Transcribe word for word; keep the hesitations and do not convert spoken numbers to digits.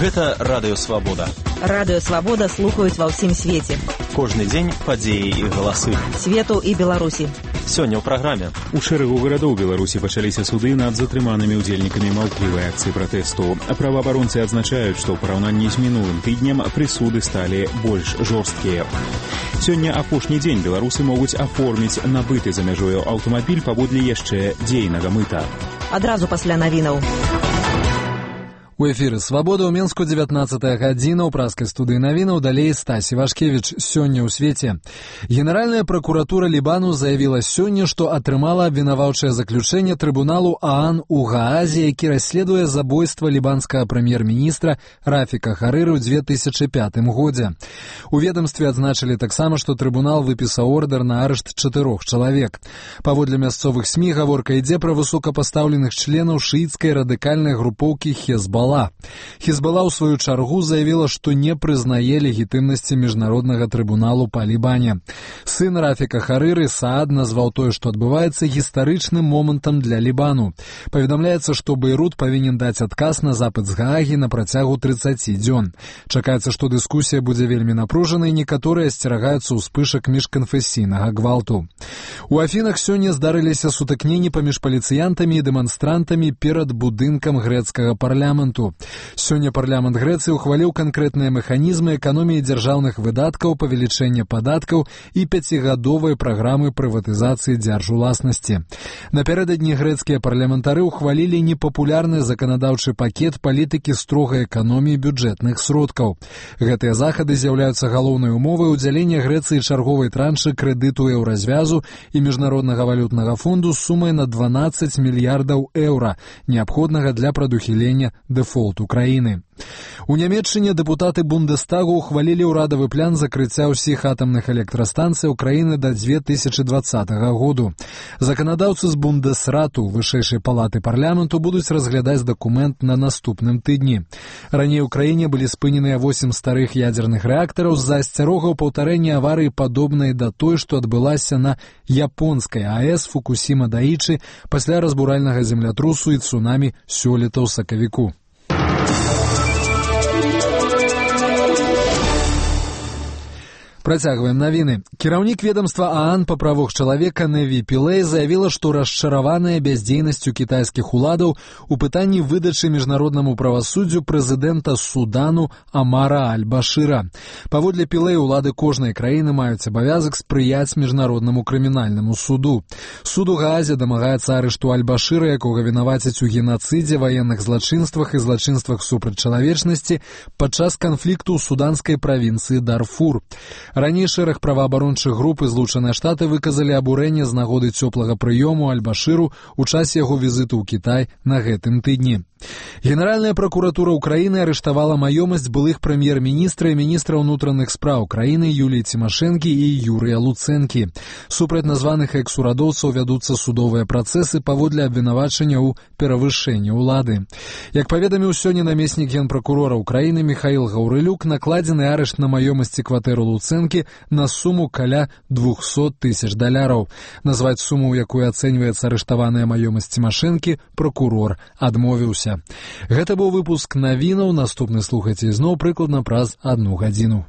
Гэта Радыё Свабода. Радыё Свабода слухаюць ва ўсім свеце. Кожны дзень падзеі і галасы. Свету і Беларусі. Сёння ў праграме. У шэрагу гарадоў Беларусі пачаліся суды над затрыманымі ўдзельнікамі маўклівай акцыі пратэсту. Праваабаронцы адзначаюць, што ў параўнанні з мінулым тыднем прысуды сталі больш жорсткія. Сёння апошні дзень беларусы могуць аформіць набыты за мяжою аўтамабіль паводле яшчэ дзейнага мыта. Адразу пасля навінаў. У эфіры «Свабода» ў Менску дзевятнаццатая гадзіна, ў праскай студыі навінаў, далей Стась Івашкевіч. Сёння ў свеце. Генеральная пракуратура Лібану заявіла сёння, што атрымала абвінаваўчае заключэнне трыбуналу ААН у Гаазе, які расследуе забойства лібанскага прэм'ер-міністра Рафіка Харыры ў две тысячы пятым годзе. У ведамстве адзначылі таксама, што трыбунал выпісаў ордар на арышт чатырох чалавек. Паводле мясцовых СМІ гаворка ідзе пра высокапастаўленых членаў шыіцкай радыкальнай групоўкі Хезбалла. Хезбалла ў сваю чаргу заявіла, што не прызнае легітымнасці міжнароднага трыбуналу па Лібане. Сын Рафіка Харыры Саад назваў тое, што адбываецца, гістарычным момантам для Лібану. Паведамляецца, што Бейрут павінен даць адказ на запыт з Гаагі на працягу трыццаці дзён. Чакаецца, што дыскусія будзе вельмі напружанай, некаторыя асцерагаюцца ўспышак міжканфесійнага гвалту. У Афінах сёння здарыліся сутыкненні паміж паліцыянтамі і дэманстрантамі перад будынкам грэцкага парламенту. Сёння парламент Грэцыі ухваліў канкрэтныя механізмы эканоміі дзяржаўных выдаткаў, павелічэння падаткаў і пяцігадовай праграмы прыватызацыі дзяржуласнасці. Напярэдадні грэцкія парламентары ухвалілі непапулярны заканадаўчы пакет палітыкі строгай эканоміі бюджэтных сродкаў. Гэтыя захады з'яўляюцца галоўнай умовай удзялення Грэцыі чарговай траншы крэдыту еўразвязу і міжнароднага валютнага фонду з сумай на дванаццаць мільярдаў еўра, неабходнага для прадухілення дэфолт Украіны. У Нямецчыне дэпутаты Бундестагу ухвалілі ўрадавы план закрыцця ўсіх атамных электрастанцый Украіны да две тысячы дваццатага году. Заканадаўцы з Бундесрату, вышэйшай палаты парламенту, будуць разглядаць дакумент на наступным тыдні. Раней у краіне былі спыненыя восем старых ядзерных рэактараў з-за асцярогаў паўтарэння аварыі, падобнай да той, што адбылася на японскай АЭС Фукусіма-Даічы пасля разбуральнага землятрусу і цунамі сёлета ў сакавіку. Працягваем навіны. Кіраўнік ведамства ААН па правах чалавека Неві Пілэй заявіла, што расчараваная бяздзейнасцю кітайскіх уладаў у пытанні выдачы міжнароднаму правасуддзю прэзідэнта Судану Амара Аль-Башыра. Паводле Пілэй, улады кожнай краіны маюць абавязак спрыяць міжнароднаму крымінальнаму суду. Суд у Гаазе дамагаецца арышту Аль-Башыра, якога вінавацяць у генацыдзе, ваенных злачынствах і злачынствах супраць чалавечнасці падчас канфлікту ў суданскай правінцыі Дарфур. Раней шэраг праваабарончых груп і Злучаныя Штаты выказалі абурэнне з нагоды цёплага прыёму Аль-Башыру ў часе яго візіту ў Кітай на гэтым тыдні. Генеральная пракуратура Украіны арыштавала маёмасць былых прэм'ер-міністра і міністра ўнутраных спраў краіны Юліі Цімашэнкі і Юрыя Луцэнкі. Супраць названых экс-урадоўцаў вядуцца судовыя працэсы паводле абвінавачання ў перавышэнні ўлады. Як паведаміў сёння намеснік генпракурора Украіны Міхаіл Гаўрылюк, накладзены арышт на маёмасці кватэру Луцэнкі на суму каля двухсот тысяч даляраў. Назваць суму, у якой ацэньваецца арыштаваная маёмасць Цімашэнкі, пракурор адмовіўся. Гэта быў выпуск навінаў. Наступны слухайце ізноў прыкладна праз адну гадзіну.